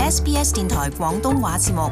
SBS 電台廣東話節目。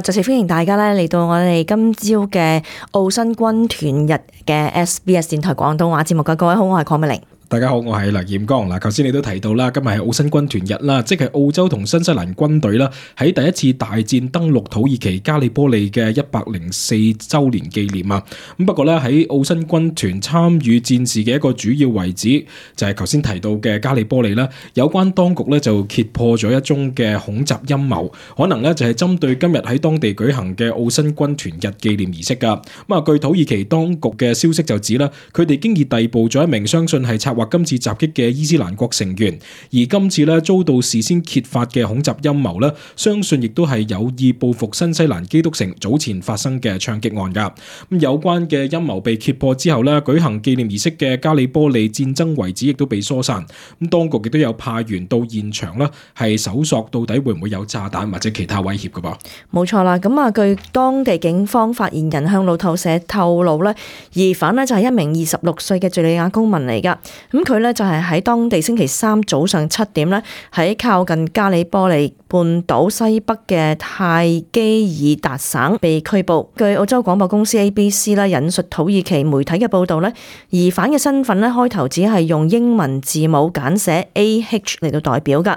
再次歡迎大家咧嚟到我哋今朝嘅澳新軍團日嘅 SBS 電台廣東話節目嘅。各位好，我係鄺美玲。大家好，我係梁彥剛。嗱，頭先你都提到啦，今日係澳新軍團日啦，即係澳洲同新西蘭軍隊啦喺第一次大戰登陸土耳其加里波利嘅104週年紀念啊。咁不過咧喺澳新軍團參與戰事嘅一個主要遺址就係頭先提到嘅加里波利啦。有關當局咧就揭破咗一宗嘅恐襲陰謀，可能咧就係針對今日喺當地舉行嘅澳新軍團日紀念儀式噶。咁啊，據土耳其當局嘅消息就指啦，佢哋經已逮捕咗一名相信係策劃今次襲擊嘅伊斯蘭國成員，而今次咧遭到事先揭發嘅恐襲陰謀咧，相信亦都係有意報復新西蘭基督城早前發生嘅槍擊案噶。咁有關嘅陰謀被揭破之後咧，舉行紀念儀式嘅加里波利戰爭遺址亦都被疏散。咁當局亦都有派員到現場啦，係搜索到底會唔會有炸彈或者其他威脅噶噃。冇錯啦，咁啊，據當地警方發言人向路透社透露咧，疑犯咧就係一名26歲嘅敘利亞公民嚟噶。咁佢咧就係喺當地星期三早上7點咧，喺靠近加里波利半島西北嘅泰基爾達省被拘捕。據澳洲廣播公司 ABC 啦引述土耳其媒體嘅報道咧，疑犯嘅身份咧開頭只係用英文字母簡寫 AH 嚟到代表噶。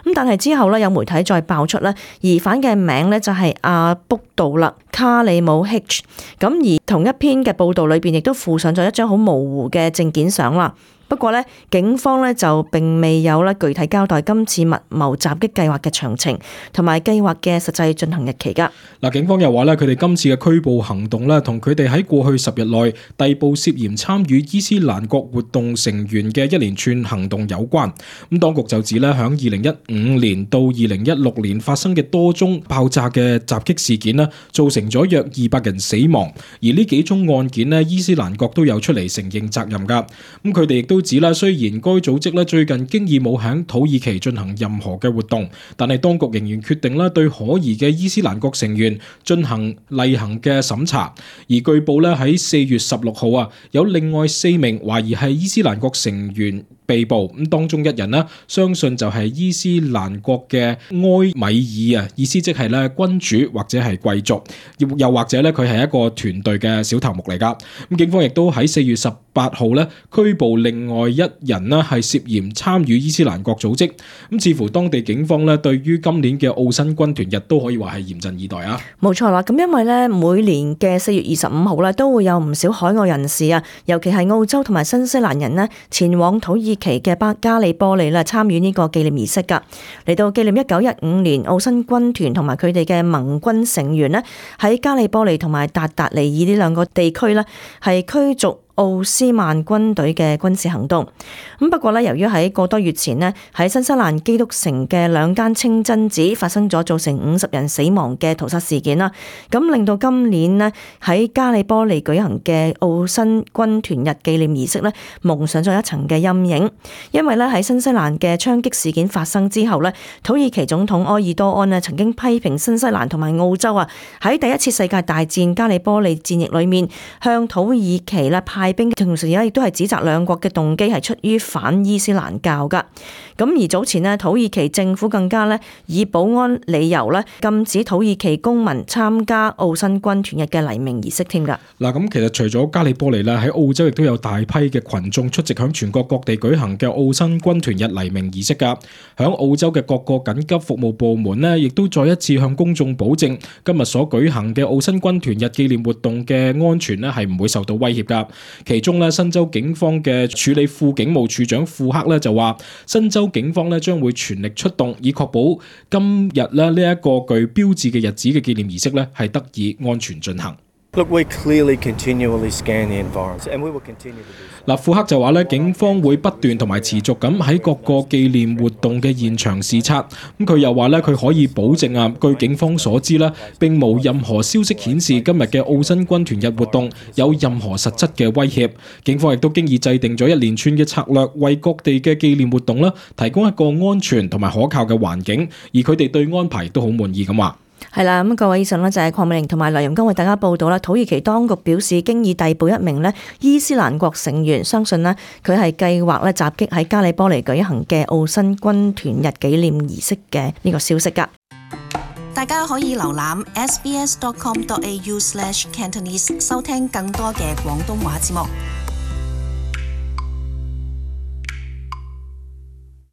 咁但係之後咧有媒體再爆出咧，疑犯嘅名咧就係阿卜杜勒卡里姆 H。咁而同一篇嘅報道裏邊亦都附上咗一張好模糊嘅證件相啦。不過咧，警方咧就並未有咧具體交代今次密謀襲擊計劃嘅詳情同埋計劃嘅實際進行日期噶。嗱，警方又話咧，佢哋今次嘅拘捕行動咧，同佢哋喺過去10日內逮捕涉嫌參與伊斯蘭國活動成員嘅一連串行動有關。咁當局就指咧，響2015年到2016年發生嘅多宗爆炸嘅襲擊事件咧，造成咗約200人死亡。而呢幾宗案件咧，伊斯蘭國都有出嚟承認責任噶。咁佢哋亦都指啦，雖然該組織咧最近經已冇喺土耳其進行任何嘅活動，但係當局仍然決定咧對可疑嘅伊斯蘭國成員進行例行嘅審查。而據報咧喺4月16號啊，有另外4名懷疑係伊斯蘭國成員被捕，咁當中一人呢，相信就係伊斯蘭國嘅埃米爾啊，意思即係咧君主或者係貴族，又或者咧佢係一個團隊嘅小頭目嚟噶。咁警方亦都喺4月18號咧拘捕另外一人呢，係涉嫌參與伊斯蘭國組織。咁似乎當地警方咧對於今年嘅澳新軍團日都可以話係嚴陣以待啊。冇錯啦，咁因為咧每年嘅4月25號咧都會有唔少海外人士啊，尤其係澳洲同埋新西蘭人呢，前往土耳其嘅加里波利啦，參與呢個紀念儀式噶，嚟到紀念1915年澳新軍團同埋佢哋嘅盟軍成員呢，喺加里波利同埋達達尼爾呢兩個地區呢，係驅逐奧斯曼軍隊嘅軍事行動。咁不過咧，由於喺個多月前呢，喺新西蘭基督城嘅兩間清真寺發生咗造成50人死亡嘅屠殺事件啦，咁令到今年呢，喺加里波利舉行嘅澳新軍團日紀念儀式呢，蒙上咗一層嘅陰影。因為咧喺新西蘭嘅槍擊事件發生之後呢，土耳其總統埃爾多安呢曾經批評新西蘭同埋澳洲啊，喺第一次世界大戰加里波利戰役裏面向土耳其咧派兵，同時亦都係指責兩國嘅動機係出於反伊斯蘭教噶。咁而早前呢，土耳其政府更加咧以保安理由咧禁止土耳其公民參加澳新軍團日嘅黎明儀式添噶。嗱，咁其實除咗加里波利咧，喺澳洲亦都有大批嘅群眾出席響全國各地舉行嘅澳新軍團日黎明儀式噶。響澳洲嘅各個緊急服務部門呢，亦都再一次向公眾保證，今日所舉行嘅澳新軍團日紀念活動嘅安全呢係唔會受到威脅噶。其中咧，新州警方嘅處理副警務處長庫克咧就話，新州警方咧將會全力出動，以確保今日咧呢一個具標誌嘅日子嘅紀念儀式咧係得以安全進行。Look, we clearly continually scan the environment, and we will continue to do so. 庫克就話咧，警方會不斷同埋持續咁喺各個紀念活動嘅現場視察。咁佢又話咧，佢可以保證啊，據警方所知咧，並冇任何消息顯示今日嘅澳新軍團日活動有任何實質嘅威脅。警方亦都經已制定咗一連串嘅策略，為各地嘅紀念活動啦提供一個安全同埋可靠嘅環境，而佢哋對安排都好滿意咁話。係啦，咁各位以上呢，就係鄺美玲同埋梁瑩剛為大家報道啦。土耳其當局表示，經已逮捕一名呢伊斯蘭國成員，相信呢，佢係計劃呢襲擊喺加里波尼舉行嘅澳新軍團日紀念儀式嘅呢個消息㗎。大家可以瀏覽 sbs.com.au/cantonese 收聽更多嘅廣東話節目。